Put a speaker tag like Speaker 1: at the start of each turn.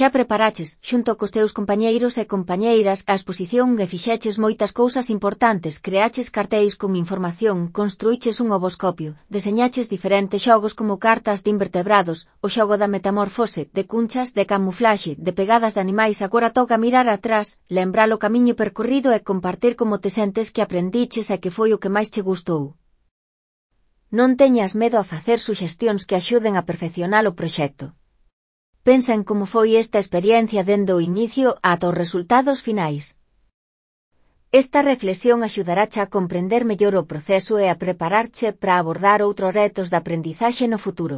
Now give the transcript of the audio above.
Speaker 1: Xa preparaches, xunto cos teus compañeiros e compañeiras, a exposición e fixeches moitas cousas importantes, creaches cartéis con información, construíches un ovoscopio, deseñaches diferentes xogos como cartas de invertebrados, o xogo da metamorfose, de cunchas, de camuflaxe, de pegadas de animais. Agora toca mirar atrás, lembrar o camiño percorrido e compartir como te sentes, que aprendiches e que foi o que máis che gustou. Non teñas medo a facer suxestións que axuden a perfeccionar o proxecto. Pensa en como foi esta experiencia dende o inicio ata os resultados finais. Esta reflexión axudarache a comprender mellor o proceso e a prepararche para abordar outros retos de aprendizaxe no futuro.